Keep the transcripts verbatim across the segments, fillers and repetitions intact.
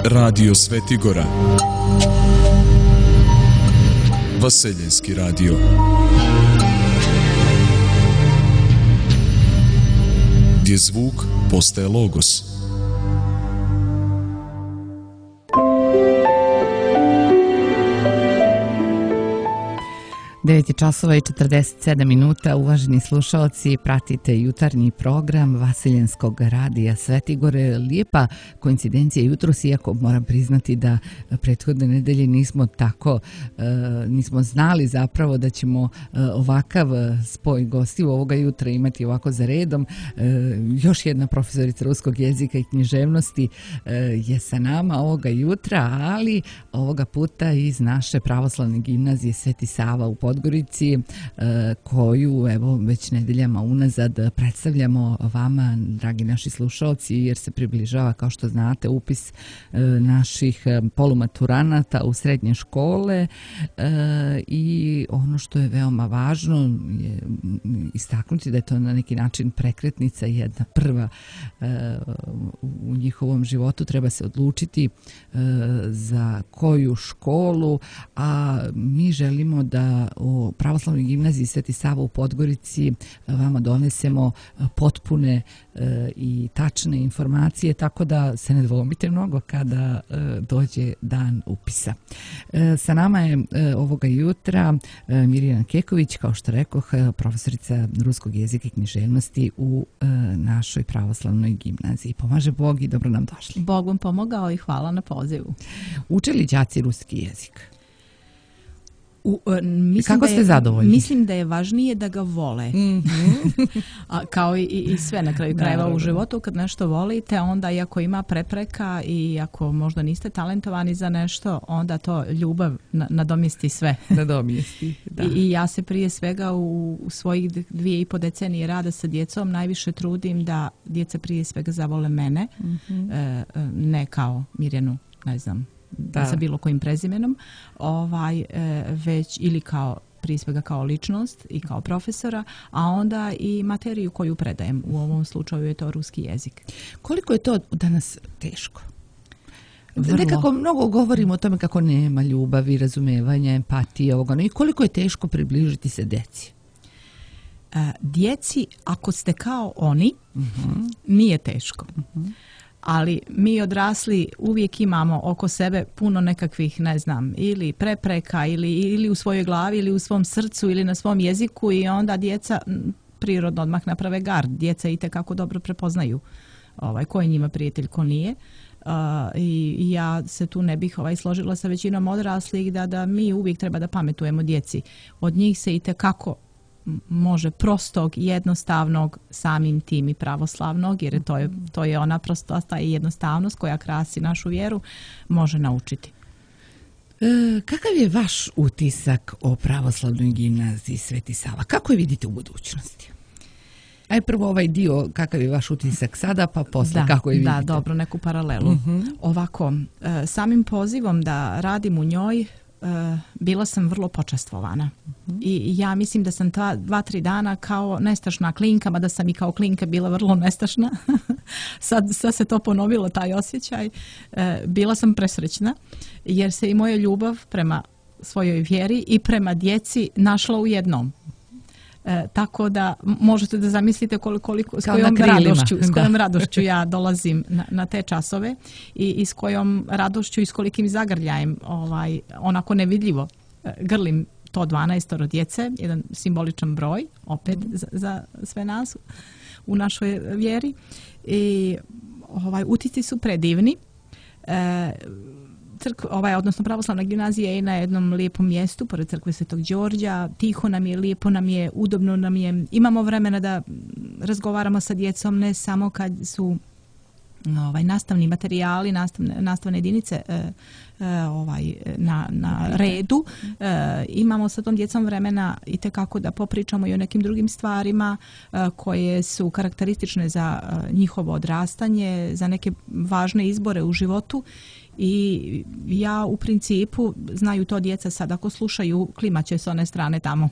Radio Svetigora, Vaseljenski radio. Gdje zvuk postaje logos. devet časova i četrdeset sedam minuta, uvaženi slušalci, pratite jutarnji program Vaseljenskog radija Svetigore. Lijepa koincidencija jutros, iako moram priznati da prethodne nedelje nismo tako, nismo znali zapravo da ćemo ovakav spoj gostiju ovoga jutra imati ovako za redom. Još jedna profesorica ruskog jezika i književnosti je sa nama ovoga jutra, ali ovoga puta iz naše pravoslavne gimnazije Sveti Sava u Podgorici, koju evo već nedeljama unazad predstavljamo vama, dragi naši slušalci, jer se približava, kao što znate, upis naših polumaturanata u srednje škole i ono što je veoma važno je istaknuti da je to na neki način prekretnica, jedna prva u njihovom životu. Treba se odlučiti za koju školu, a mi želimo da u pravoslavnoj gimnaziji Sveti Sava u Podgorici vama donesemo potpune i tačne informacije, tako da se ne dvomite mnogo kada dođe dan upisa. Sa nama je ovoga jutra Mirjana Keković, kao što rekoh, profesorica ruskog jezika i književnosti u našoj pravoslavnoj gimnaziji. Pomaže Bog i dobro nam došli. Bog vam pomogao i hvala na pozivu. Uče li đaci ruski jezik? U, mislim Kako ste da je, zadovoljni? Mislim da je važnije da ga vole. Mm-hmm. A, kao i, i sve na kraju krajeva u životu, kad nešto volite, onda i ako ima prepreka i ako možda niste talentovani za nešto, onda to ljubav nadomjesti sve. Nadomjesti, da. I, I ja se prije svega u, u svojih dvije i po decenije rada sa djecom najviše trudim da djeca prije svega zavole mene, mm-hmm. e, ne kao Mirjanu, ne znam, Da. sa bilo kojim prezimenom, ovaj, e, već ili kao prije svega kao ličnost i kao profesora, a onda i materiju koju predajem. U ovom slučaju je to ruski jezik. Koliko je to danas teško? Vrlo. Nekako mnogo govorimo o tome kako nema ljubavi, razumevanja, empatije, ovoga, no i koliko je teško približiti se djeci? E, djeci, ako ste kao oni, uh-huh. nije teško. Uh-huh. Ali mi odrasli uvijek imamo oko sebe puno nekakvih, ne znam, ili prepreka ili, ili u svojoj glavi ili u svom srcu ili na svom jeziku i onda djeca prirodno odmah naprave gard. Djeca itekako dobro prepoznaju ovaj, ko je njima prijatelj, ko nije. Uh, i, i ja se tu ne bih ovaj, složila sa većinom odraslih da, da mi uvijek treba da pametujemo djeci. Od njih se itekako može prostog, jednostavnog, samim tim i pravoslavnog, jer to je, to je ona prostosta i jednostavnost koja krasi našu vjeru, može naučiti. E, kakav je vaš utisak o pravoslavnoj gimnaziji Sveti Sava? Kako je vidite u budućnosti? Aj prvo ovaj dio, kakav je vaš utisak sada, pa posle da, kako je vidite? Da, dobro, neku paralelu. Uh-huh. Ovako, samim pozivom da radim u njoj, Uh, bila sam vrlo počastvovana. Uh-huh. I ja mislim da sam ta dva, tri dana kao nestašna klinka, mada sam i kao klinka bila vrlo nestašna. sad, sad se to ponovilo, taj osjećaj. Uh, bila sam presrećna, jer se i moja ljubav prema svojoj vjeri i prema djeci našla u jednom. E, tako da možete da zamislite koliko, koliko, s, kojom radošću, s kojom radošću ja dolazim na, na te časove i, i s kojom radošću i s kolikim zagrljajem ovaj, onako nevidljivo grlim to dvanaestoro djece, jedan simboličan broj opet mm. za, za sve nas u našoj vjeri i ovaj, utisci su predivni. E, Crk, ovaj, odnosno pravoslavna gimnazija je na jednom lijepom mjestu pored crkve Svetog Đorđa, tiho nam je, lijepo nam je, udobno nam je, imamo vremena da razgovaramo sa djecom ne samo kad su ovaj, nastavni materijali, nastavne, nastavne jedinice e, e, ovaj, na, na redu. E, imamo sa tom djecom vremena i tekako da popričamo i o nekim drugim stvarima e, koje su karakteristične za e, njihovo odrastanje, za neke važne izbore u životu. I ja u principu, znaju to djeca sad, ako slušaju, klimaće s one strane tamo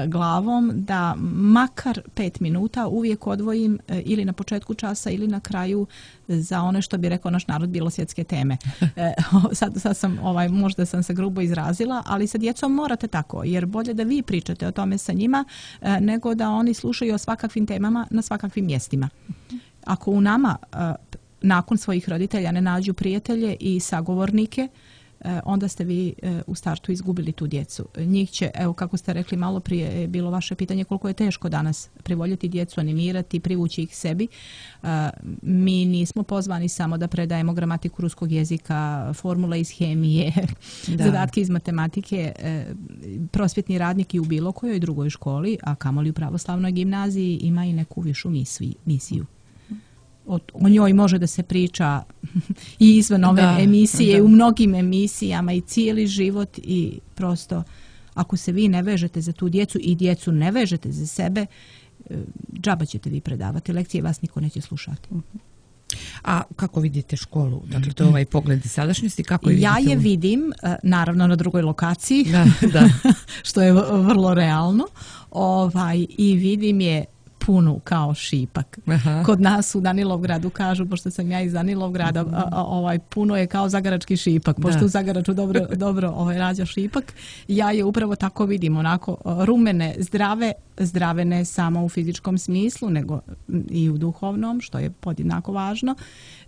glavom, da makar pet minuta uvijek odvojim ili na početku časa ili na kraju za one, što bi rekao naš narod, bilosvjetske teme. sad, sad sam, ovaj, možda sam se grubo izrazila, ali sa djecom morate tako, jer bolje da vi pričate o tome sa njima, nego da oni slušaju o svakakvim temama na svakakvim mjestima. Ako u nama nakon svojih roditelja ne nađu prijatelje i sagovornike, onda ste vi u startu izgubili tu djecu. Njih će, evo kako ste rekli malo prije, je bilo vaše pitanje koliko je teško danas privoljeti djecu, animirati, privući ih sebi. Mi nismo pozvani samo da predajemo gramatiku ruskog jezika, formule iz hemije, da. zadatke iz matematike. Prosvjetni radnik i u bilo kojoj drugoj školi, a kamoli u pravoslavnoj gimnaziji, ima i neku višu misiju. O, o njoj može da se priča i izvan ove da, emisije, da. u mnogim emisijama i cijeli život, i prosto ako se vi ne vežete za tu djecu i djecu ne vežete za sebe, džaba ćete vi predavati lekcije, vas niko neće slušati. A kako vidite školu? Dakle, to je ovaj pogled iz sadašnjosti. Kako je ja vidite? je vidim, naravno, na drugoj lokaciji, da, da. što je vrlo realno, ovaj, i vidim je punu kao šipak. Aha. Kod nas u Danilovgradu kažu, pošto sam ja iz Danilovgrada, mm-hmm. a, a, ovaj, puno je kao zagarački šipak, pošto da. u Zagaraču dobro, dobro ovaj, rađa šipak. Ja je upravo tako vidim, onako rumene, zdrave, zdrave ne samo u fizičkom smislu, nego i u duhovnom, što je podjednako važno.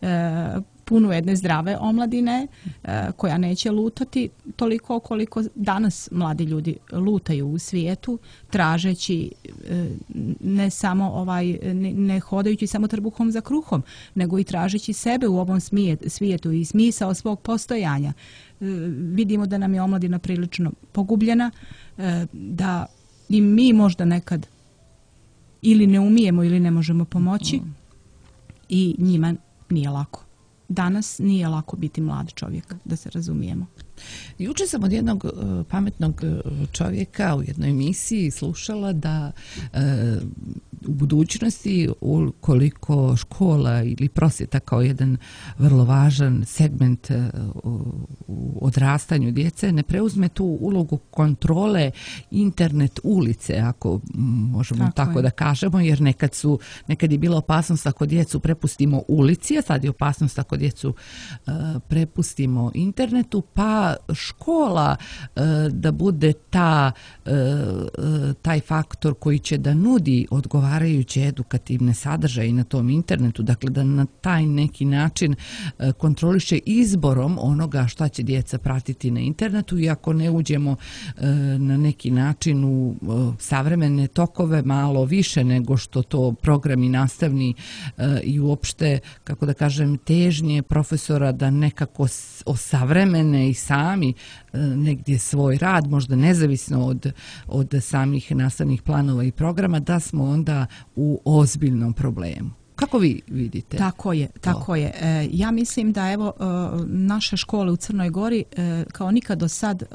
E, puno jedne zdrave omladine e, koja neće lutati toliko koliko danas mladi ljudi lutaju u svijetu, tražeći e, ne samo ovaj, ne, ne hodajući samo trbuhom za kruhom, nego i tražeći sebe u ovom smijet, svijetu i smisao svog postojanja. E, vidimo da nam je omladina prilično pogubljena, e, da i mi možda nekad ili ne umijemo ili ne možemo pomoći, i njima nije lako. Danas nije lako biti mlad čovjek, da se razumijemo. Juče sam od jednog uh, pametnog čovjeka u jednoj emisiji slušala da uh, u budućnosti, ukoliko škola ili prosvjeta kao jedan vrlo važan segment uh, u odrastanju djece ne preuzme tu ulogu kontrole internet ulice, ako možemo tako, tako da kažemo, jer nekad su nekad je bila opasnost ako djecu prepustimo ulici, a sad je opasnost ako djecu uh, prepustimo internetu, pa škola uh, da bude ta, uh, taj faktor koji će da nudi odgovarajuće edukativne sadržaje na tom internetu, dakle da na taj neki način uh, kontroliše izborom onoga šta će djeca pratiti na internetu, i ako ne uđemo uh, na neki način u uh, savremene tokove malo više nego što to programi nastavni uh, i uopšte, kako da kažem, težnje profesora da nekako osavremene i sami negdje svoj rad, možda nezavisno od, od samih nastavnih planova i programa, da smo onda u ozbiljnom problemu. Kako vi vidite? Tako je, tako je. E, ja mislim da evo e, naše škole u Crnoj Gori e, kao nikad do sad e,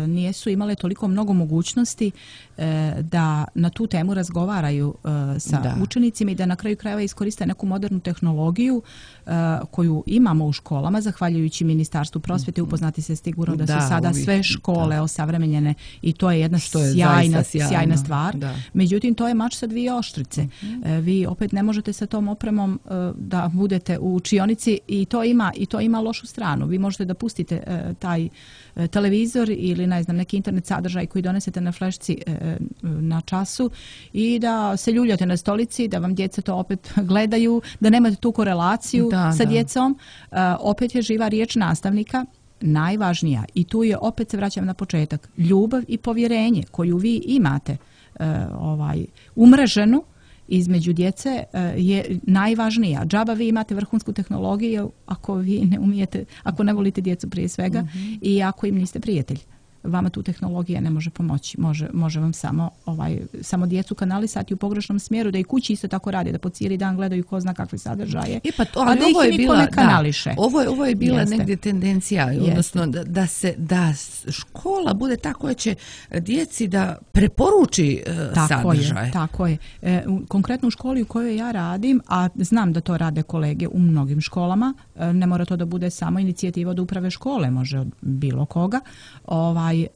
nisu imale toliko mnogo mogućnosti e, da na tu temu razgovaraju e, sa da. učenicima i da na kraju krajeva iskoriste neku modernu tehnologiju e, koju imamo u školama, zahvaljujući Ministarstvu prosvjete. Upoznati se sigurno da, da su sada uvijek, sve škole da. osavremenjene, i to je jedna Što je sjajna, sjajna stvar. Da. Međutim, to je mač sa dvije oštrice. Uh-huh. E, vi opet ne možete sa tom opremom uh, da budete u učionici, i to ima i to ima lošu stranu. Vi možete da pustite uh, taj uh, televizor ili ne znam neki internet sadržaj koji donesete na flešci uh, na času, i da se ljuljate na stolici, da vam djeca to opet gledaju, da nemate tu korelaciju da, sa da. djecom. Uh, opet je živa riječ nastavnika najvažnija, i tu je, opet se vraćam na početak, ljubav i povjerenje koju vi imate uh, ovaj umreženu između djece je najvažnija. Džaba vi imate vrhunsku tehnologiju ako vi ne umijete, ako ne volite djecu prije svega, mm-hmm. i ako im niste prijatelj. vama tu tehnologija ne može pomoći. Može, može vam samo, ovaj, samo djecu kanalisati u pogrešnom smjeru, da i kući isto tako radi, da po cijeli dan gledaju ko zna kakve sadržaje, e pa to, a da ih niko ne kanališe. Da, ovo, je, ovo je bila Jeste. negdje tendencija, odnosno da, da, se, da škola bude ta koja će djeci da preporuči uh, tako sadržaj. Je, tako je. E, u, konkretno u školi u kojoj ja radim, a znam da to rade kolege u mnogim školama, e, ne mora to da bude samo inicijativa od uprave škole, može od bilo koga. Ovaj, e,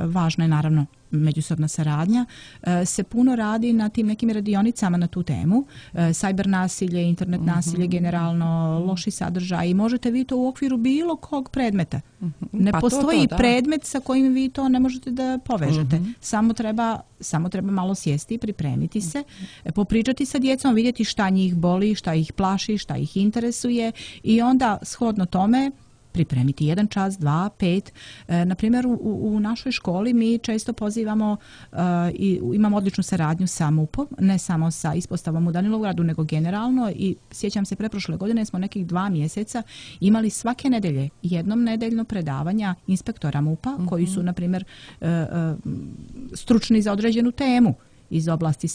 važno je naravno međusobna saradnja, e, se puno radi na tim nekim radionicama na tu temu. E, cyber nasilje, internet nasilje, mm-hmm. generalno loši sadržaj i možete vi to u okviru bilo kog predmeta. Mm-hmm. Ne pa postoji to, to, predmet sa kojim vi to ne možete da povežete. Mm-hmm. Samo treba, samo treba malo sjesti i pripremiti se, mm-hmm. popričati sa djecom, vidjeti šta njih boli, šta ih plaši, šta ih interesuje i onda shodno tome pripremiti jedan čas, dva, pet. E, na primjer, u, u našoj školi mi često pozivamo e, i imamo odličnu saradnju sa MUP-om, ne samo sa ispostavom u Danilovgradu, nego generalno i sjećam se preprošle godine smo nekih dva mjeseca imali svake nedelje jednom nedeljno predavanja inspektora MUP-a mm-hmm. koji su, na primjer, e, e, stručni za određenu temu iz oblasti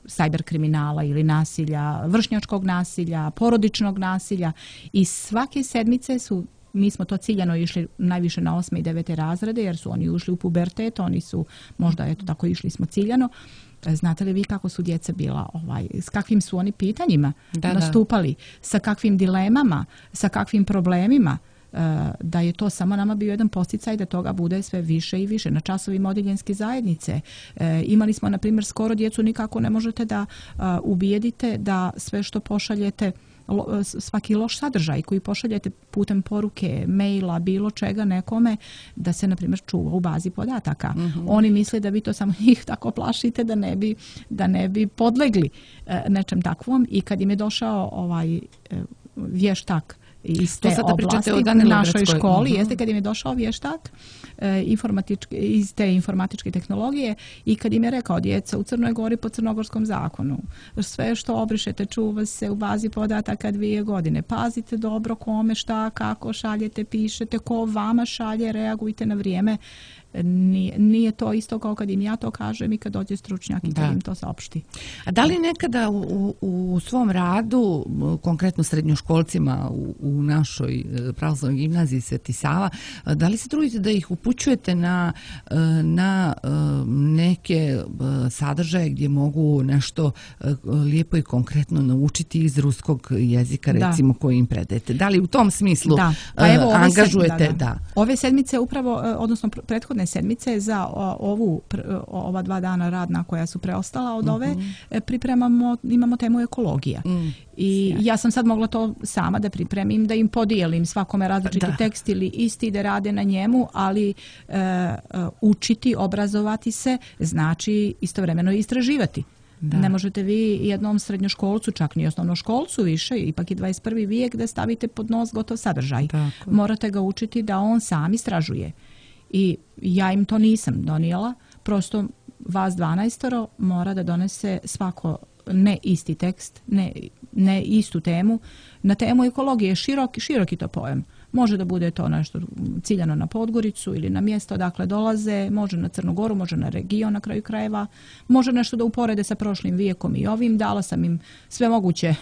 cyber kriminala ili nasilja, vršnjačkog nasilja, porodičnog nasilja i svake sedmice su mi smo to ciljano išli najviše na osme i devete razrede jer su oni ušli u pubertet, oni su možda eto tako išli smo ciljano. Znate li vi kako su djeca bila, ovaj, s kakvim su oni pitanjima da, nastupali, da. Sa kakvim dilemama, sa kakvim problemima, da je to samo nama bio jedan posticaj da toga bude sve više i više. Na časovima odjeljenske zajednice imali smo, na primjer, skoro djecu nikako ne možete da ubijedite da sve što pošaljete, svaki loš sadržaj koji pošaljete putem poruke, maila, bilo čega nekome, da se, na primjer, čuva u bazi podataka. Mm-hmm. Oni misle da vi to samo njih tako plašite da ne bi, da ne bi podlegli nečem takvom i kad im je došao ovaj vještak iz te oblasti u našoj školi, uh-huh. jeste kad im je došao vještak e, informatički, iz te informatičke tehnologije i kad im je rekao djeca u Crnoj Gori po crnogorskom zakonu, sve što obrišete čuva se u bazi podataka dvije godine. Pazite dobro kome, šta, kako šaljete, pišete, ko vama šalje, reagujte na vrijeme. Nije, nije to isto kao kad im ja to kažem i kad dođe stručnjak i kad da. Im to saopšti. A da li nekada u, u svom radu, konkretno srednjoškolcima u, u našoj pravoslavnoj gimnaziji Sveti Sava, da li se trudite da ih upućujete na, na neke sadržaje gdje mogu nešto lijepo i konkretno naučiti iz ruskog jezika, recimo, da. Koji im predajete? Da li u tom smislu da. Pa evo, angažujete? Se, da, da. Da. Ove sedmice upravo, odnosno prethodne sedmice za ovu ova dva dana radna koja su preostala od ove mm-hmm. pripremamo, imamo temu ekologija. Mm. I ja sam sad mogla to sama da pripremim, da im podijelim svakome različiti da. Tekst ili isti da rade na njemu, ali e, učiti, obrazovati se znači istovremeno istraživati. Da. Ne možete vi jednom srednjoškolcu, čak ni osnovnoškolcu više, ipak je dvadeset prvi vijek, da stavite pod nos gotov sadržaj. Tako. Morate ga učiti da on sam istražuje. I ja im to nisam donijela, prosto vas dvanaestoro mora da donese svako ne isti tekst, ne, ne istu temu. Na temu ekologije široki, široki to pojam. Može da bude to nešto ciljano na Podgoricu ili na mjesto odakle dolaze, može na Crnu Goru, može na region na kraju krajeva, može nešto da uporede sa prošlim vijekom i ovim. Dala sam im sve moguće,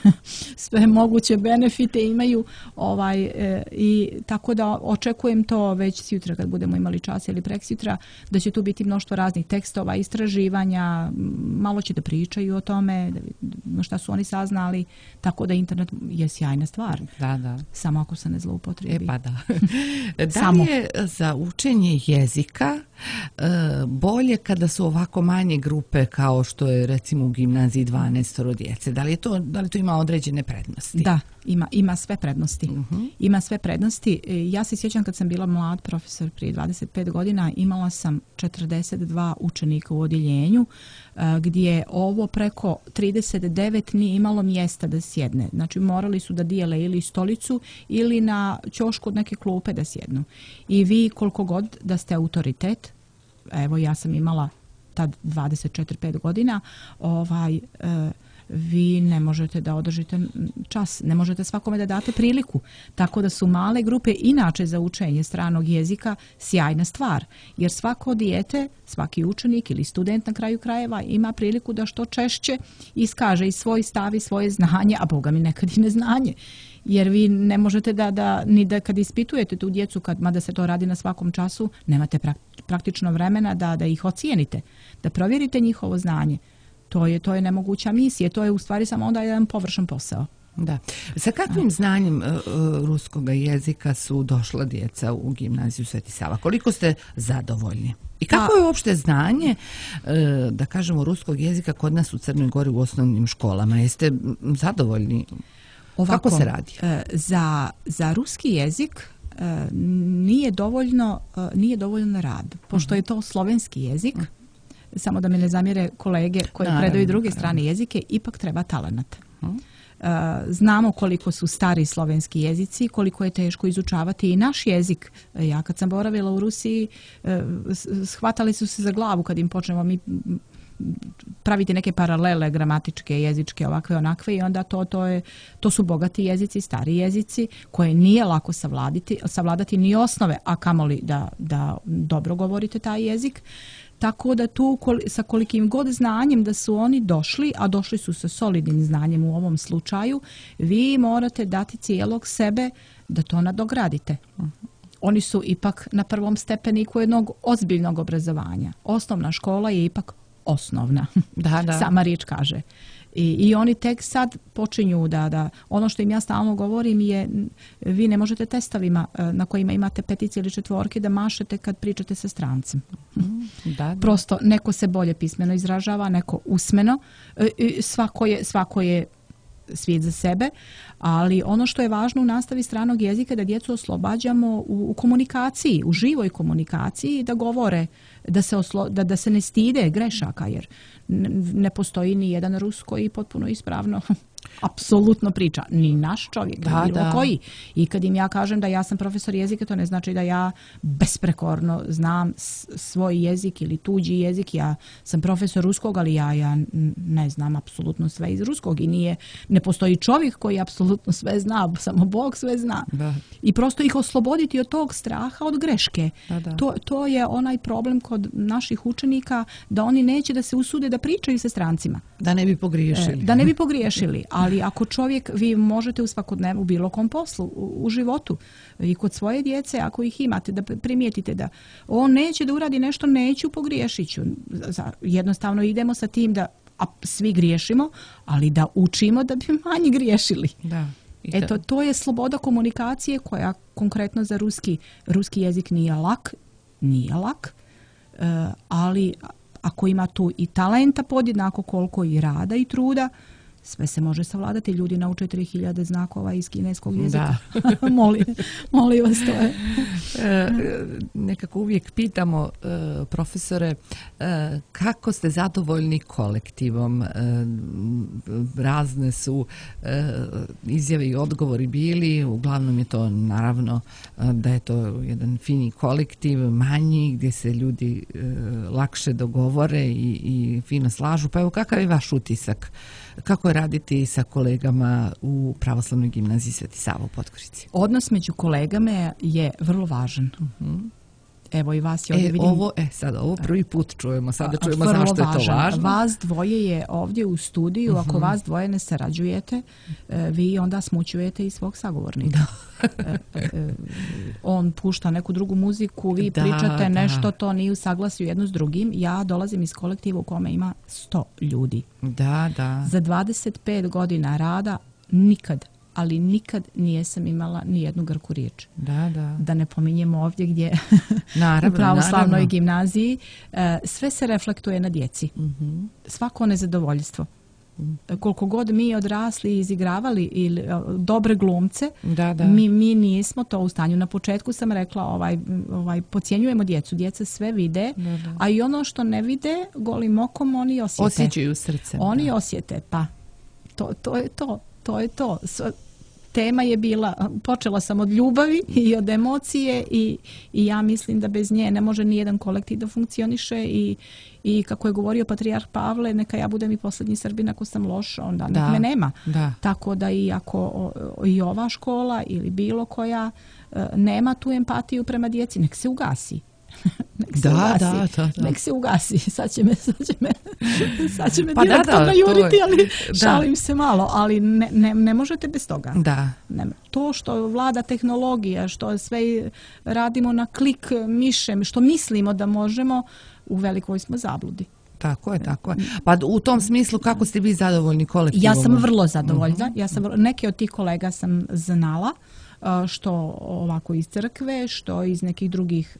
sve moguće benefite imaju ovaj, e, i tako da očekujem to već sutra kad budemo imali čas ili preksjutra, da će tu biti mnoštvo raznih tekstova, istraživanja, malo će da pričaju o tome, da, šta su oni saznali, tako da internet je sjajna stvar. Da, da. Samo ako se ne zloupotrebi. E pa da. Da li je za učenje jezika e, bolje kada su ovako manje grupe kao što je recimo u gimnaziji dvanaestoro djece? Da li je to, da li to ima određene prednosti? Da, ima, ima sve prednosti. Uh-huh. Ima sve prednosti. Ja se sjećam kad sam bila mlad profesor prije dvadeset pet godina, imala sam četrdeset dva učenika u odjeljenju gdje ovo preko trideset devet nije imalo mjesta da sjedne. Znači morali su da dijele ili stolicu ili na ćošku od neke klupe da sjednu. I vi koliko god da ste autoritet, evo ja sam imala tad dvadeset četiri pet godina, ovaj, vi ne možete da održite čas, ne možete svakome da date priliku. Tako da su male grupe inače za učenje stranog jezika sjajna stvar. Jer svako dijete, svaki učenik ili student na kraju krajeva ima priliku da što češće iskaže i svoj stav i svoje znanje, a boga mi nekad i neznanje. Jer vi ne možete da, da ni da kad ispitujete tu djecu, kad, mada se to radi na svakom času, nemate praktično vremena da, da ih ocijenite, da provjerite njihovo znanje. To je, to je nemoguća misija, to je u stvari samo onda jedan površan posao. Da. Sa kakvim znanjem uh, ruskog jezika su došla djeca u gimnaziju Sveti Sava? Koliko ste zadovoljni? I kako je uopšte znanje, uh, da kažemo, ruskog jezika kod nas u Crnoj Gori u osnovnim školama? Jeste zadovoljni? Ovako, kako se radi? Uh, za, za ruski jezik uh, nije dovoljno, uh, nije dovoljno rad, pošto uh-huh. je to slovenski jezik. Uh-huh. Samo da me ne zamjere kolege koji naravno, predaju druge naravno. strane jezike, ipak treba talenat. Uh-huh. Znamo koliko su stari slovenski jezici, koliko je teško izučavati i naš jezik. Ja kad sam boravila u Rusiji, shvatali su se za glavu kad im počnemo mi praviti neke paralele gramatičke, jezičke, ovakve, onakve, i onda to, to, je, to su bogati jezici, stari jezici koje nije lako savladati, savladati ni osnove, a kamoli da, da dobro govorite taj jezik. Tako da tu sa kolikim god znanjem da su oni došli, a došli su sa solidnim znanjem u ovom slučaju, vi morate dati cijelog sebe da to nadogradite. Oni su ipak na prvom stepeniku jednog ozbiljnog obrazovanja. Osnovna škola je ipak osnovna, da, da. sama riječ kaže. I, I oni tek sad počinju da, da, ono što im ja stalno govorim je, vi ne možete testovima na kojima imate petice ili četvorke da mašete kad pričate sa strancem. Da, da. Prosto neko se bolje pismeno izražava, neko usmeno, svako je, svako je svijet za sebe, ali ono što je važno u nastavi stranog jezika je da djecu oslobađamo u, u komunikaciji, u živoj komunikaciji, da govore, da se, oslo, da, da se ne stide grešaka, jer ne postoji ni jedan Rus koji potpuno ispravno apsolutno priča, ni naš čovjek, da, bilo da. koji. I kad im ja kažem da ja sam profesor jezika, to ne znači da ja besprekorno znam svoj jezik ili tuđi jezik. Ja sam profesor ruskog, ali ja, ja ne znam apsolutno sve iz ruskog i nije, ne postoji čovjek koji apsolutno sve zna, samo Bog sve zna. Da. I prosto ih osloboditi od tog straha, od greške. Da, da. To, to je onaj problem kod naših učenika, da oni neće da se usude da pričaju sa strancima. Da ne bi pogriješili. Da ne bi pogriješili. Ali ako čovjek, vi možete u svakodnevnu bilo kom poslu, u, u životu i kod svoje djece, ako ih imate, da primijetite da on neće da uradi nešto, neću, pogriješit ću. Jednostavno idemo sa tim da a, svi griješimo, ali da učimo da bi manje griješili. Da. Eto, to je sloboda komunikacije koja konkretno za ruski, ruski jezik nije lak, nije lak, uh, ali ako ima tu i talenta podjednako koliko i rada i truda, sve se može savladati. Ljudi nauče tri hiljade znakova iz kineskog jezika. molim, molim vas, to je. e, nekako uvijek pitamo e, profesore, e, kako ste zadovoljni kolektivom? E, razne su e, izjave i odgovori bili. Uglavnom je to naravno da je to jedan fini kolektiv, manji, gdje se ljudi e, lakše dogovore i, i fino slažu. Pa evo, kakav je vaš utisak? Kako je raditi sa kolegama u Pravoslavnoj gimnaziji Sveti Sava u Podgorici? Odnos među kolegama je vrlo važan. Uh-huh. Evo i vas je ovdje e, vidim. Ovo, e, sad ovo prvi put čujemo, sada čujemo zašto je to važno. Vas dvoje je ovdje u studiju, uh-huh. ako vas dvoje ne sarađujete, vi onda smućujete i svog sagovornika. Da. On pušta neku drugu muziku, vi da, pričate da. nešto, to nije u saglasju jedno s drugim. Ja dolazim iz kolektiva u kome ima sto ljudi. Da, da. Za dvadeset pet godina rada nikad, ali nikad nijesam imala ni jednu grku riječ. Da, da. Da ne pominjemo ovdje gdje naravno, u pravoslavnoj naravno. gimnaziji. Sve se reflektuje na djeci. Uh-huh. Svako nezadovoljstvo. Koliko god mi odrasli i izigravali ili dobre glumce, da, da. Mi, mi nismo to u stanju. Na početku sam rekla, ovaj, ovaj, podcjenjujemo djecu. Djeca sve vide, da, da. a i ono što ne vide, golim okom oni osjete. Osjećaju srcem. Oni da. osjete, pa to, to je to. To je to. tema je bila, počela sam od ljubavi i od emocije i, i ja mislim da bez nje ne može ni jedan kolektiv da funkcioniše i, i kako je govorio patrijarh Pavle, neka ja budem i posljednji Srbin ako sam loš, onda nek me nema. Da. Tako da i ako i ova škola ili bilo koja nema tu empatiju prema djeci, nek se ugasi. Nek se da, ugasi. Da, da, da. Nek se ugasi. Sad će me, sad će me, sad će me pa direktor da, da, najuriti, je, ali da. šalim se malo. Ali ne, ne, ne možete bez toga. Da. Ne, to što vlada tehnologija, što sve radimo na klik mišem, što mislimo da možemo, u velikoj smo zabludi. Tako je, tako je. Pa u tom smislu kako ste vi zadovoljni kolektivom? Ja sam vrlo zadovoljna. Uh-huh. Ja sam, neke od tih kolega sam znala, što ovako iz crkve, što iz nekih drugih,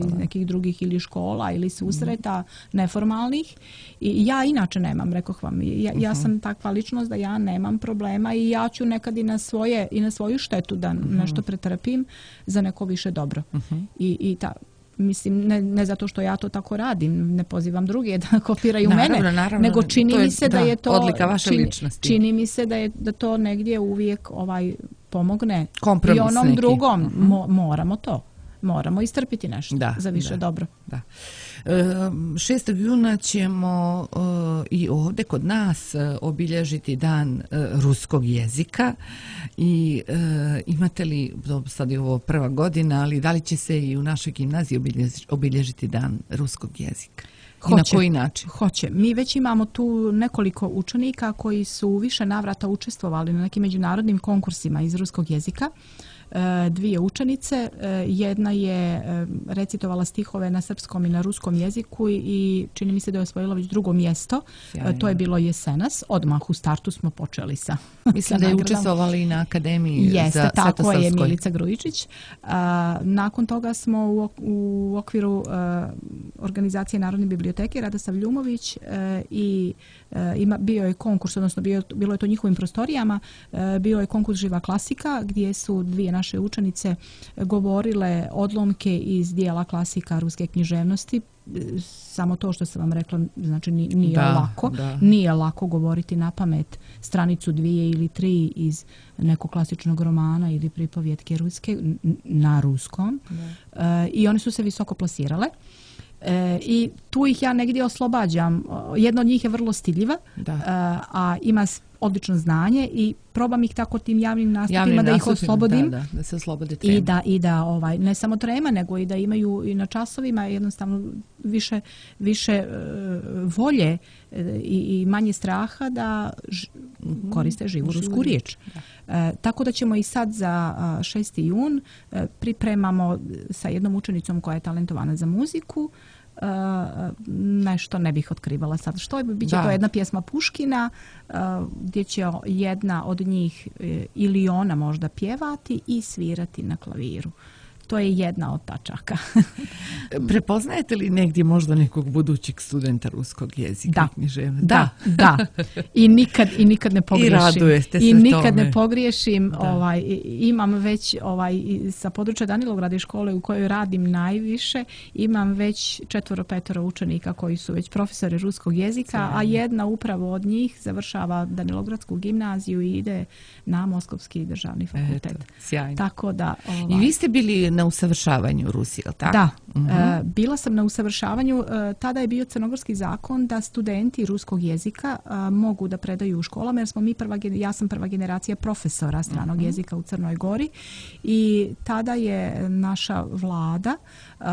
iz nekih drugih ili škola ili susreta mm. neformalnih. I ja inače nemam, rekoh vam, ja, ja sam takva ličnost da ja nemam problema i ja ću nekad i na svoje i na svoju štetu da mm. nešto pretrpim za neko više dobro. Mm-hmm. I, i ta Mislim, ne, ne zato što ja to tako radim, ne pozivam druge da kopiraju naravno, mene, naravno, nego čini je, mi se da, da je to odlika vaše čini, ličnosti. Čini mi se da je da to negdje uvijek ovaj pomogne kompromis i onom neki. drugom Uh-huh. mo, moramo to. Moramo istrpiti nešto da, za više da, dobro. Da. šestog juna ćemo i ovdje kod nas obilježiti dan ruskog jezika i imate li, sad je ovo prva godina, ali da li će se i u našoj gimnaziji obilježiti dan ruskog jezika? I na koji način? Hoće. Mi već imamo tu nekoliko učenika koji su u više navrata učestvovali na nekim međunarodnim konkursima iz ruskog jezika. Dvije učenice, jedna je recitovala stihove na srpskom i na ruskom jeziku i čini mi se da je osvojila već drugo mjesto. Sjajno. To je bilo jesenas. Odmah u startu smo počeli sa Mislim sa da je učestvovala i na Akademiji Jeste, za tako Svetosavskoj. je Milica Grujičić. A, nakon toga smo u, u okviru a, organizacije Narodne biblioteke Radosav Ljumović a, i a, ima, bio je konkurs, odnosno bio, bilo je to njihovim prostorijama, a, bio je konkurs Živa klasika gdje su dvije naše učenice govorile odlomke iz dijela klasika ruske književnosti. Samo to što sam vam rekla, znači nije da, lako, da. Nije lako govoriti na pamet stranicu dvije ili tri iz nekog klasičnog romana ili pripovjetke ruske na ruskom. Uh, I one su se visoko plasirale. E, I tu ih ja negdje oslobađam. Jedna od njih je vrlo stidljiva, a, a ima odlično znanje i probam ih tako tim javnim nastupima javnim da nastupima, ih oslobodim. da, da, da se oslobode trema. I da, i da ovaj, ne samo trema, nego i da imaju i na časovima jednostavno više, više uh, volje uh, i, i manje straha da ž, mm-hmm. koriste živu rusku riječ. Uh, tako da ćemo i sad za uh, šesti jun uh, pripremamo sa jednom učenicom koja je talentovana za muziku. Uh, nešto ne bih otkrivala sad što je, bit će da. To jedna pjesma Puškina uh, gdje će jedna od njih uh, ili ona možda pjevati i svirati na klaviru. To je jedna od tačaka. Prepoznajete li negdje možda nekog budućeg studenta ruskog jezika? Da, književne? da, da. I nikad, i nikad ne pogriješim. I radujete se I nikad tome. ne pogriješim. Ovaj, imam već ovaj, sa područja Danilograda škole u kojoj radim najviše, imam već četvoro, petoro učenika koji su već profesori ruskog jezika, sjajno. A jedna upravo od njih završava Danilogradsku gimnaziju i ide na Moskovski državni fakultet. Eto, sjajno. Tako da, ovaj, I vi ste bili na usavršavanju u Rusiji, je li tako? Da, uh-huh. e, bila sam na usavršavanju. E, tada je bio crnogorski zakon da studenti ruskog jezika e, mogu da predaju u školama, jer smo mi prva, ja sam prva generacija profesora stranog uh-huh. jezika u Crnoj Gori i tada je naša vlada e,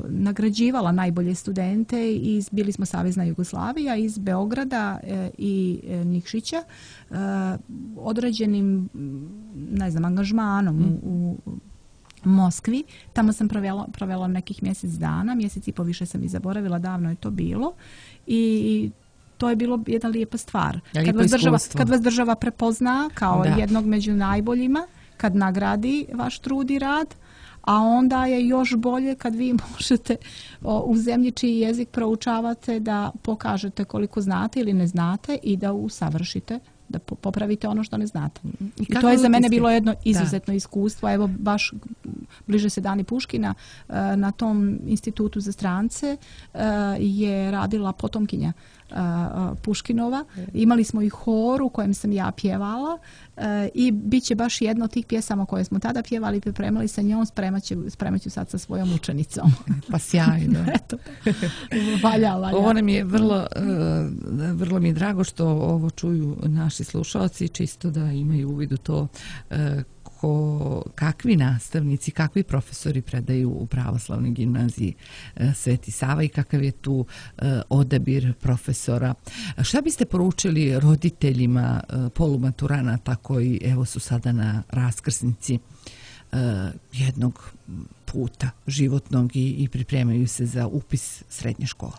nagrađivala najbolje studente iz, bili smo Savezna Jugoslavija, iz Beograda e, i e, Nikšića, e, određenim, ne znam, angažmanom uh-huh. u, u Moskvi. Tamo sam provela, provela nekih mjesec dana, mjesec i po više sam i zaboravila, davno je to bilo i to je bilo jedna lijepa stvar. Kad vas, država, kad vas država prepozna kao da. Jednog među najboljima, kad nagradi vaš trud i rad, a onda je još bolje kad vi možete o, u zemlji čiji jezik proučavate da pokažete koliko znate ili ne znate i da usavršite, da popravite ono što ne znate. I, I to je za mene bilo jedno izuzetno da. Iskustvo. Evo baš bliže se Dani Puškina, na tom institutu za strance je radila potomkinja Puškinova. Imali smo i hor u kojem sam ja pjevala i bit će baš jedna od tih pjesama koje smo tada pjevali i pripremali sa njom, spremat ću, spremat ću sad sa svojom učenicom. Pa sjajno. Eto, valja, valja. Ovo nam je vrlo, vrlo mi je drago što ovo čuju naši slušalci, čisto da imaju uvid u to ko, kakvi nastavnici, kakvi profesori predaju u pravoslavnoj gimnaziji Sveti Sava i kakav je tu odabir profesora. Šta biste poručili roditeljima polumaturanata koji evo su sada na raskrsnici jednog puta životnog i, i pripremaju se za upis srednje škole?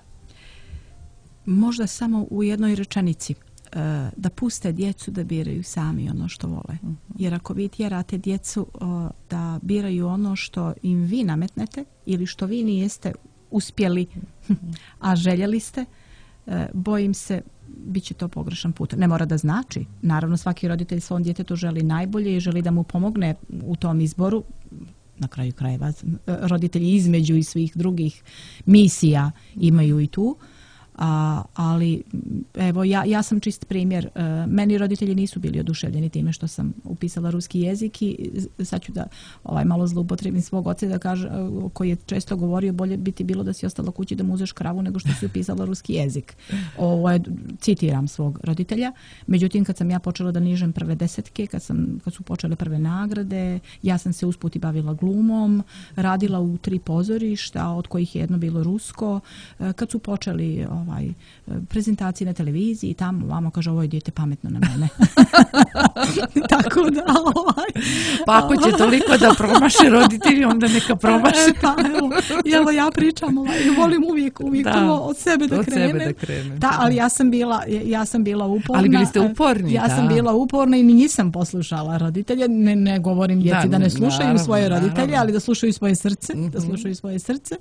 Možda samo u jednoj rečenici. Da puste djecu da biraju sami ono što vole. Jer ako vi tjerate djecu da biraju ono što im vi nametnete ili što vi nijeste uspjeli, a željeli ste, bojim se bit će to pogrešan put. Ne mora da znači. Naravno, svaki roditelj svom djetetu želi najbolje i želi da mu pomogne u tom izboru. Na kraju krajeva roditelji između i svih drugih misija imaju i tu. A, ali evo ja, ja sam čist primjer. E, meni roditelji nisu bili oduševljeni time što sam upisala ruski jezik i sad ću da ovaj, malo zloupotrebim svog oca da kaže, koji je često govorio bolje bi ti bilo da si ostala kući da mu uzeš kravu nego što si upisala ruski jezik. Ovo je, citiram svog roditelja. Međutim, kad sam ja počela da nižem prve desetke, kad, sam, kad su počele prve nagrade, ja sam se usput i bavila glumom, radila u tri pozorišta, od kojih je jedno bilo rusko. E, kad su počeli ovaj, prezentacije na televiziji i tamo vamo kaže ovo je dijete pametno na mene. Tako da ovaj, pa ako će toliko da promaše roditelji, onda neka promaše. E, pa evo, evo ja pričam, ovaj, volim uvijek, uvijek da, od sebe da od krenem. Sebe da krenem. Da, ali ja sam bila, ja sam bila uporna. Ali bili ste uporni, Ja da. sam bila uporna i nisam poslušala roditelje. Ne, ne govorim djeci da, da ne slušaju naravno, svoje roditelje, naravno. ali da slušaju svoje srce, Mm-hmm. da slušaju svoje srce.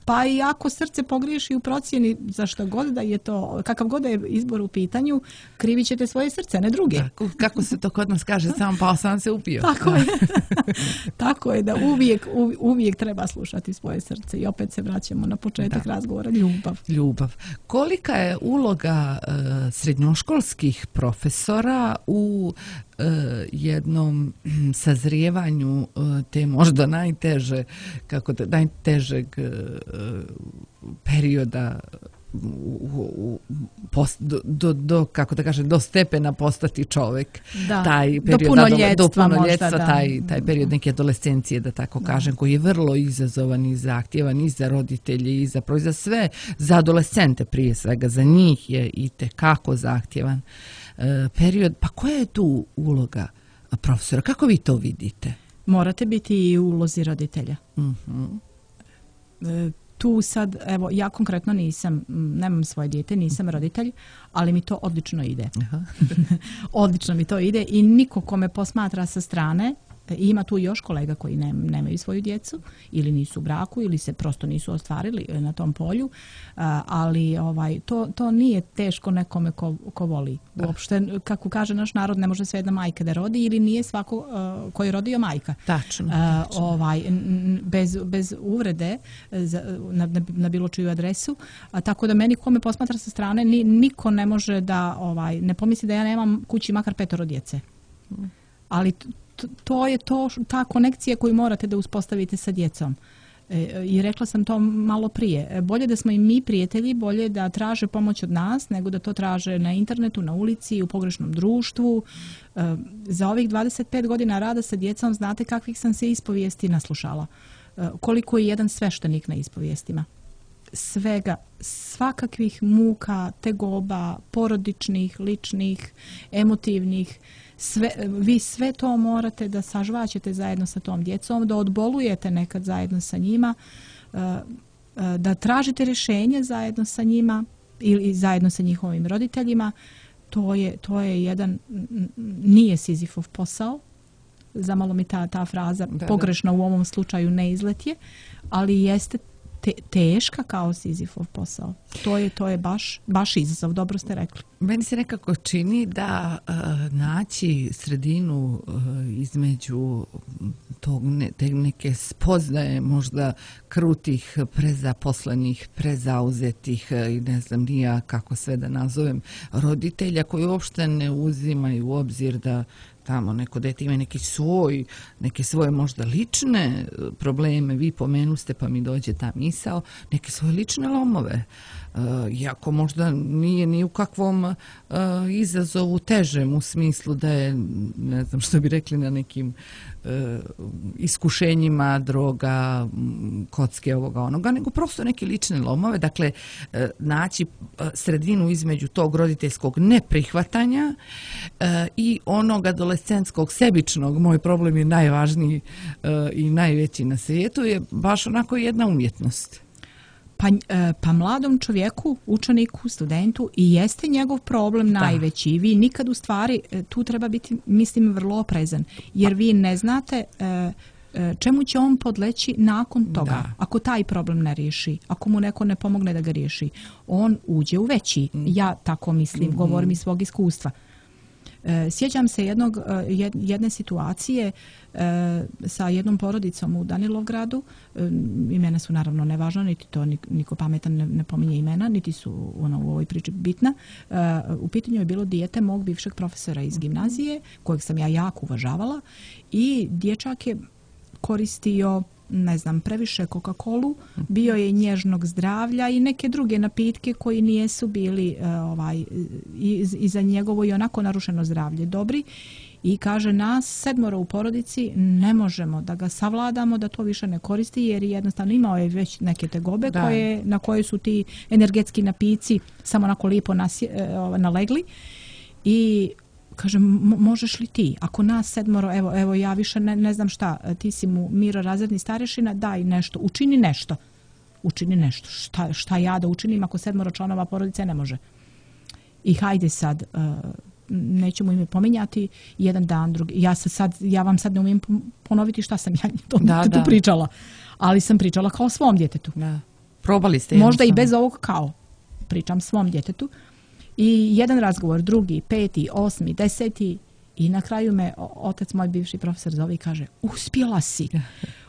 Pa i ako srce pogriješi u procjeni za što god da je to, kakav god da je izbor u pitanju, krivit ćete svoje srce, ne druge. Tako, kako se to kod nas kaže, sam pao, sam se upio. Tako je. Tako je da uvijek, uvijek treba slušati svoje srce i opet se vraćamo na početak da. razgovora, ljubav. Ljubav. Kolika je uloga uh, srednjoškolskih profesora u uh, jednom sazrijevanju uh, te možda najteže, kako da, najtežeg uh, perioda u, u, post, do, do, do, kako da kažem, do stepena postati čovjek. Da, taj period, do punoljetstva, do punoljetstva možda, da. taj, taj period neke adolescencije, da tako da. kažem, koji je vrlo izazovan i zahtjevan i za roditelje i za, i za sve, za adolescente prije svega, za njih je i tekako zahtjevan e, period. Pa koja je tu uloga profesora? Kako vi to vidite? Morate biti i u ulozi roditelja. Mhm. E, tu sad, evo, ja konkretno nisam, nemam svoje dijete, nisam roditelj, ali mi to odlično ide. Aha. Odlično mi to ide i niko ko me posmatra sa strane, ima tu još kolega koji ne, nemaju svoju djecu ili nisu u braku ili se prosto nisu ostvarili na tom polju, ali ovaj, to, to nije teško nekome ko, ko voli. Uopšte, kako kaže naš narod, ne može sve jedna majka da rodi ili nije svako uh, koji je rodio majka. Tačno. Uh, ovaj, n, bez, bez uvrede za, na, na bilo čiju adresu. A, tako da meni ko me posmatra sa strane, ni, niko ne može da ovaj, ne pomisli da ja nemam kući makar petoro djece. Ali to je to, ta konekcija koju morate da uspostavite sa djecom. E, I rekla sam to malo prije. Bolje da smo i mi prijatelji, bolje da traže pomoć od nas, nego da to traže na internetu, na ulici, u pogrešnom društvu. E, za ovih dvadeset pet godina rada sa djecom znate kakvih sam se ispovijesti naslušala. E, koliko je jedan sveštenik na ispovijestima. Svega, svakakvih muka, tegoba, porodičnih, ličnih, emotivnih. Sve, vi sve to morate da sažvaćete zajedno sa tom djecom, da odbolujete nekad zajedno sa njima, da tražite rješenje zajedno sa njima ili zajedno sa njihovim roditeljima. To je, to je jedan, nije Sizifov posao, zamalo mi ta, ta fraza da, pogrešna da. U ovom slučaju ne izletje, ali jeste te, teška kao Sizifov posao. To je, to je baš, baš izazov, dobro ste rekli. Meni se nekako čini da uh, naći sredinu uh, između tog ne, te neke spoznaje možda krutih, prezaposlenih, prezauzetih i ne znam nija kako sve da nazovem roditelja koji uopšte ne uzimaju u obzir da tamo neko dete ima neki svoj, neke svoje možda lične probleme, vi pomenuste pa mi dođe ta misao, neke svoje lične lomove. Uh, iako možda nije ni u kakvom uh, izazovu težem u smislu da je, ne znam što bi rekli, na nekim uh, iskušenjima, droga, kocke, ovoga, onoga, nego prosto neke lične lomove. Dakle, uh, naći uh, sredinu između tog roditeljskog neprihvatanja uh, i onog adolescentskog sebičnog, moj problem je najvažniji uh, i najveći na svijetu, je baš onako jedna umjetnost. Pa, pa mladom čovjeku, učeniku, studentu i jeste njegov problem da. najveći. Vi nikad u stvari tu treba biti, mislim, vrlo oprezan. Jer vi ne znate čemu će on podleći nakon toga. Da. Ako taj problem ne riješi, ako mu neko ne pomogne da ga riješi, on uđe u veći. Mm. Ja tako mislim, mm-hmm. govorim iz svog iskustva. Sjećam se jednog, jedne situacije sa jednom porodicom u Danilovgradu. Imena su naravno nevažna, niti to niko pametan ne, ne pominje imena, niti su ono, u ovoj priči bitna. U pitanju je bilo dijete mog bivšeg profesora iz gimnazije, kojeg sam ja jako uvažavala, i dječak je koristio, ne znam, previše Coca-Colu, bio je nježnog zdravlja i neke druge napitke koji nijesu bili uh, ovaj, i, i za njegovo i onako narušeno zdravlje dobri. I kaže, nas sedmoro u porodici ne možemo da ga savladamo, da to više ne koristi, jer jednostavno imao je već neke tegobe koje, na koje su ti energetski napici samo onako lijepo nasje, uh, nalegli. I kaže, možeš li ti, ako nas sedmoro, evo, evo ja više ne, ne znam šta, ti si mu Miro razredni starešina, daj nešto, učini nešto. Učini nešto. Šta, šta ja da učinim ako sedmoro članova porodice ne može? I hajde sad, uh, nećemo ime pominjati, jedan dan, drugi. Ja, se sad, ja vam sad ne umijem ponoviti šta sam ja to, da, tu da. pričala. Ali sam pričala kao svom djetetu. Da. Probali ste. Možda i bez ovog kao. Pričam svom djetetu. I jedan razgovor, drugi, peti, osmi, deseti, i na kraju me otac, moj bivši profesor, zove i kaže, uspjela si.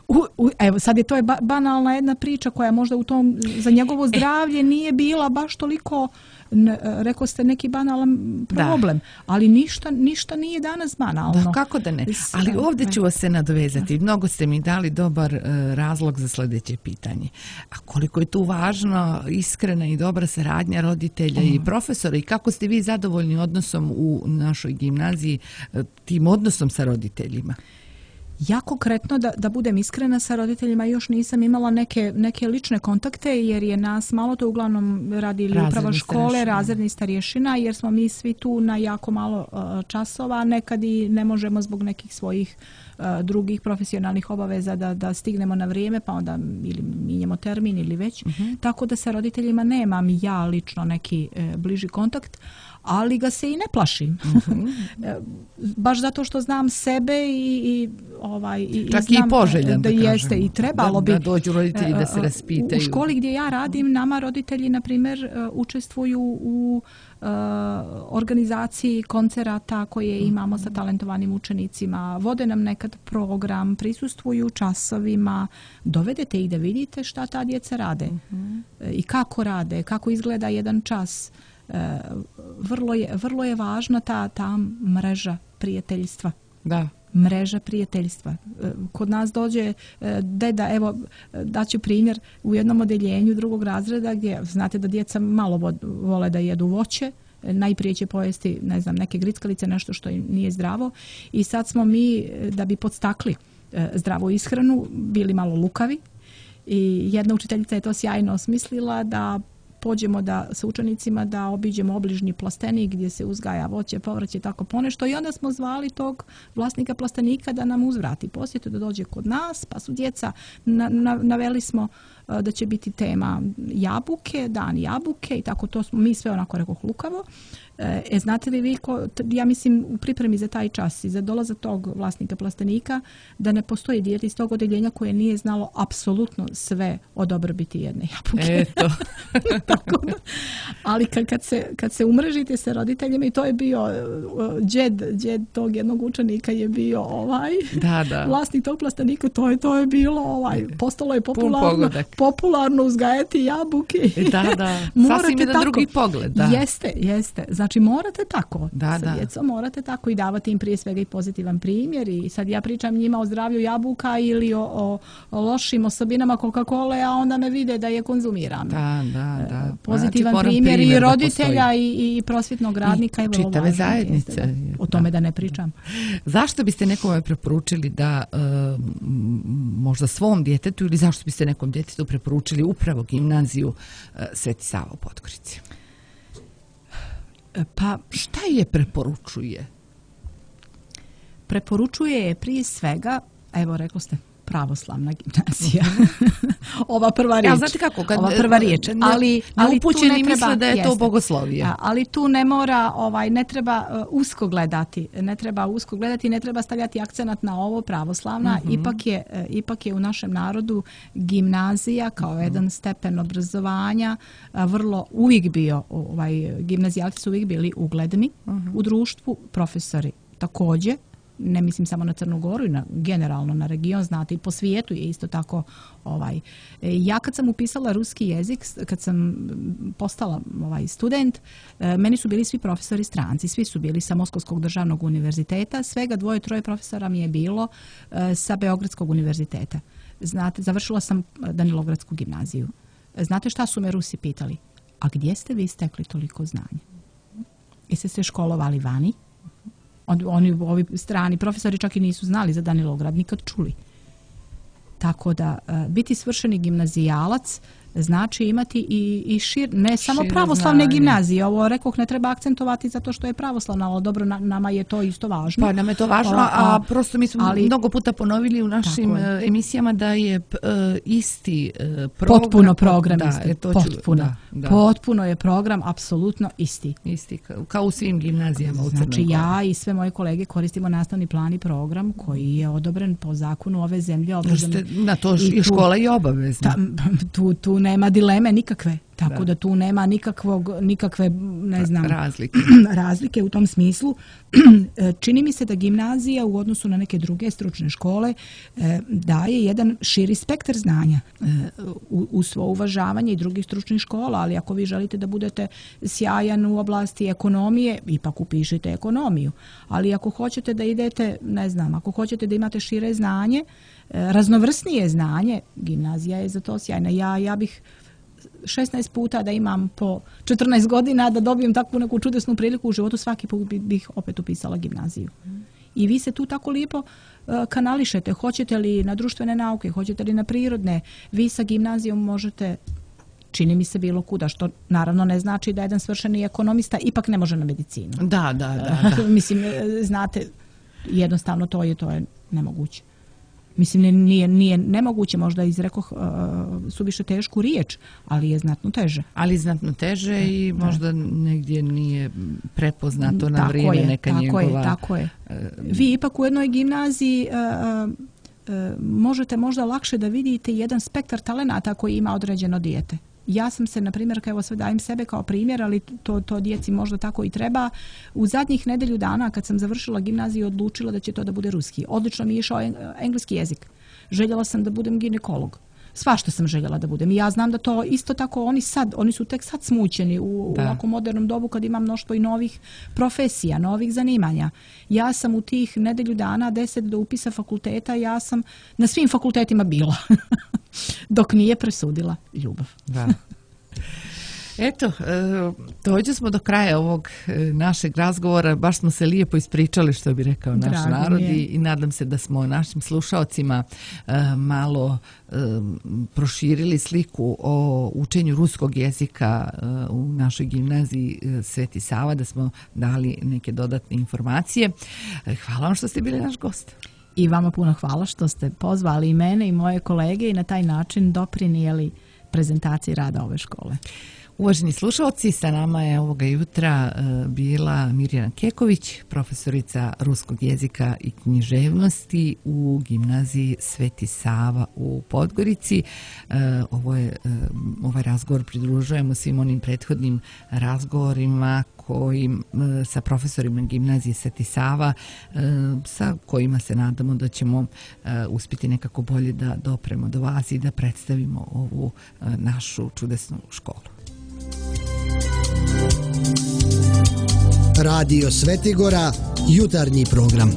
U, u, evo, sad je to je ba, banalna jedna priča koja možda u tom, za njegovo zdravlje nije bila baš toliko, ne, rekao ste, neki banalan problem, da. ali ništa, ništa nije danas banalno. Da, kako da ne? Ali ovdje ću se nadovezati. Mnogo ste mi dali dobar uh, razlog za sljedeće pitanje. A koliko je tu važno iskrena i dobra saradnja roditelja mm. i profesora, i kako ste vi zadovoljni odnosom u našoj gimnaziji, tim odnosom sa roditeljima? Ja konkretno, da, da budem iskrena, sa roditeljima još nisam imala neke, neke lične kontakte, jer je nas malo to uglavnom radi ili upravo škole, razredni starješina, jer smo mi svi tu na jako malo uh, časova, nekad i ne možemo zbog nekih svojih uh, drugih profesionalnih obaveza da, da stignemo na vrijeme, pa onda ili minjemo termin ili već. Uh-huh. Tako da sa roditeljima nemam ja lično neki uh, bliži kontakt, ali ga se i ne plašim. Mm-hmm. Baš zato što znam sebe i, i ovaj i čak znam i poželjan da, da jeste i trebalo da, bi da dođu roditelji da se raspitaju. U, u školi gdje ja radim, nama roditelji na primjer učestvuju u uh, organizaciji koncerata koje imamo sa talentovanim učenicima, vode nam nekad program, prisustvuju časovima, dovedete ih da vidite šta ta djeca rade mm-hmm. i kako rade, kako izgleda jedan čas. Vrlo je, vrlo je važna ta, ta mreža prijateljstva. Da. Mreža prijateljstva. Kod nas dođe deda, evo, daću primjer, u jednom odeljenju drugog razreda gdje znate da djeca malo vole da jedu voće, najprije će pojesti, ne znam, neke grickalice, nešto što im nije zdravo, i sad smo mi, da bi podstakli zdravu ishranu, bili malo lukavi, i jedna učiteljica je to sjajno osmislila da pođemo da sa učenicima da obiđemo obližnji plastenik gdje se uzgaja voće, povrće, tako ponešto, i onda smo zvali tog vlasnika plastenika da nam uzvrati posjetu, da dođe kod nas, pa su djeca, na, na, naveli smo uh, da će biti tema jabuke, dan jabuke, i tako to smo mi sve onako rekoh lukavo. E, znate li vi, ko, ja mislim u pripremi za taj čas i za dolazak tog vlasnika plastenika, da ne postoji dijete iz tog odeljenja koje nije znalo apsolutno sve o dobrobiti jedne jabuke. Eto. Tako da, ali kad, kad, se, kad se umrežite sa roditeljima, i to je bio uh, džed, džed tog jednog učenika je bio ovaj da, da. vlasnik tog plastenika, to je, to je bilo ovaj, postalo je popularno, popularno uzgajati jabuke. Da, da, sasvim jedan drugi pogled. Da. Jeste, jeste. Znači morate tako, da, sa djecom morate tako i davati im prije svega i pozitivan primjer. I sad ja pričam njima o zdravlju jabuka ili o, o, o lošim osobinama Coca-Cola, a onda me vide da je konzumiram. Da, da, da. Pozitivan znači, primjer, primjer i roditelja i, i prosvjetnog radnika. I čitave zajednice. Da, o tome da ne pričam. Zašto biste nekome preporučili da uh, možda svom djetetu ili zašto biste nekom djetetu preporučili upravo gimnaziju uh, Sveti Sava u Podgorici? Pa šta je preporučuje? Preporučuje je prije svega, evo rekli ste, pravoslavna gimnazija. Ova prva riječ. Ja, znate kako, kad Ova prva riječ. Ali, ali tu ne treba, misle da je jeste, to bogoslovije. Ali tu ne mora, ovaj, ne treba uh, usko gledati, ne treba usko gledati, ne treba stavljati akcenat na ovo pravoslavna. Mm-hmm. Ipak je, uh, ipak je u našem narodu gimnazija kao mm-hmm. jedan stepen obrazovanja uh, vrlo uvijek bio, ovaj, gimnazijalci su uvijek bili ugledni mm-hmm. u društvu, profesori također. Ne mislim samo na Crnu Goru i na, generalno na region, znate, i po svijetu je isto tako. Ovaj. Ja kad sam upisala ruski jezik, kad sam postala ovaj, student, meni su bili svi profesori stranci, svi su bili sa Moskovskog državnog univerziteta, svega dvoje, troje profesora mi je bilo sa Beogradskog univerziteta. Znate, završila sam Danilogradsku gimnaziju. Znate šta su me Rusi pitali? A gdje ste vi stekli toliko znanja? Jeste se školovali vani? Oni, ovi strani profesori čak i nisu znali za Danilograd, nikad čuli. Tako da biti svršeni gimnazijalac znači imati i, i šir, ne samo Šire pravoslavne znanje. Gimnazije. Ovo rekoh ne treba akcentovati zato što je pravoslavna, ali dobro, na, nama je to isto važno. Pa nam je to važno, a, a, a prosto mi smo ali, mnogo puta ponovili u našim emisijama da je uh, isti uh, program. Potpuno program da, isti. To potpuno. Da, da. Potpuno je program apsolutno isti. Isti, kao u svim gimnazijama u Crnoj Gori. Znači ja i sve moje kolege koristimo nastavni plan i program koji je odobren po zakonu ove zemlje. Ste, na to i škola je obavezna. Ta, tu, tu nema dileme nikakve, tako da, da tu nema nikakvog, nikakve, ne znam, razlike. razlike u tom smislu. Čini mi se da gimnazija u odnosu na neke druge stručne škole daje jedan širi spektar znanja u svo uvažavanje i drugih stručnih škola, ali ako vi želite da budete sjajan u oblasti ekonomije, ipak upišite ekonomiju. Ali ako hoćete da idete, ne znam, ako hoćete da imate šire znanje, raznovrsnije znanje, gimnazija je za to sjajna. Ja, ja bih šesnaest puta da imam po četrnaest godina da dobijem takvu neku čudesnu priliku u životu, svaki put bih opet upisala gimnaziju. I vi se tu tako lijepo uh, kanališete. Hoćete li na društvene nauke, hoćete li na prirodne, vi sa gimnazijom možete, čini mi se, bilo kuda, što naravno ne znači da jedan svršeni ekonomista ipak ne može na medicinu. Da, da, da. da. Mislim, znate, jednostavno to je, to je nemoguće. Mislim, nije, nije nemoguće, možda izrekoh uh, suviše tešku riječ, ali je znatno teže. Ali znatno teže i možda negdje nije prepoznato na tako vrijeme je, neka tako njegova... Je, tako je. Vi ipak u jednoj gimnaziji uh, uh, možete možda lakše da vidite jedan spektar talenata koji ima određeno dijete. Ja sam se, na primjer, evo sve dajem sebe kao primjer, ali to, to djeci možda tako i treba. U zadnjih nedelju dana kad sam završila gimnaziju odlučila da će to da bude ruski. Odlično mi je išao engleski jezik. Željela sam da budem ginekolog. Svašta sam željela da budem. I ja znam da to isto tako oni sad, oni su tek sad smućeni u, u ovako modernom dobu kad ima mnoštvo i novih profesija, novih zanimanja. Ja sam u tih nedelju dana, deset do upisa fakulteta, ja sam na svim fakultetima bila. Dok nije presudila ljubav. Da. Eto, dođe smo do kraja ovog našeg razgovora, baš smo se lijepo ispričali, što bi rekao naš Drago narod i, i nadam se da smo našim slušaocima malo proširili sliku o učenju ruskog jezika u našoj gimnaziji Sveti Sava, da smo dali neke dodatne informacije. Hvala vam što ste bili naš gost. I vama puno hvala što ste pozvali i mene i moje kolege i na taj način doprinijeli prezentaciji rada ove škole. Uvaženi slušalci, sa nama je ovoga jutra bila Mirjana Keković, profesorica ruskog jezika i književnosti u gimnaziji Sveti Sava u Podgorici. Ovo je, ovaj razgovor pridružujemo svim onim prethodnim razgovorima koji, sa profesorima gimnazije Sveti Sava, sa kojima se nadamo da ćemo uspjeti nekako bolje da dopremo do vas i da predstavimo ovu našu čudesnu školu. Radio Svetigora, jutarnji program.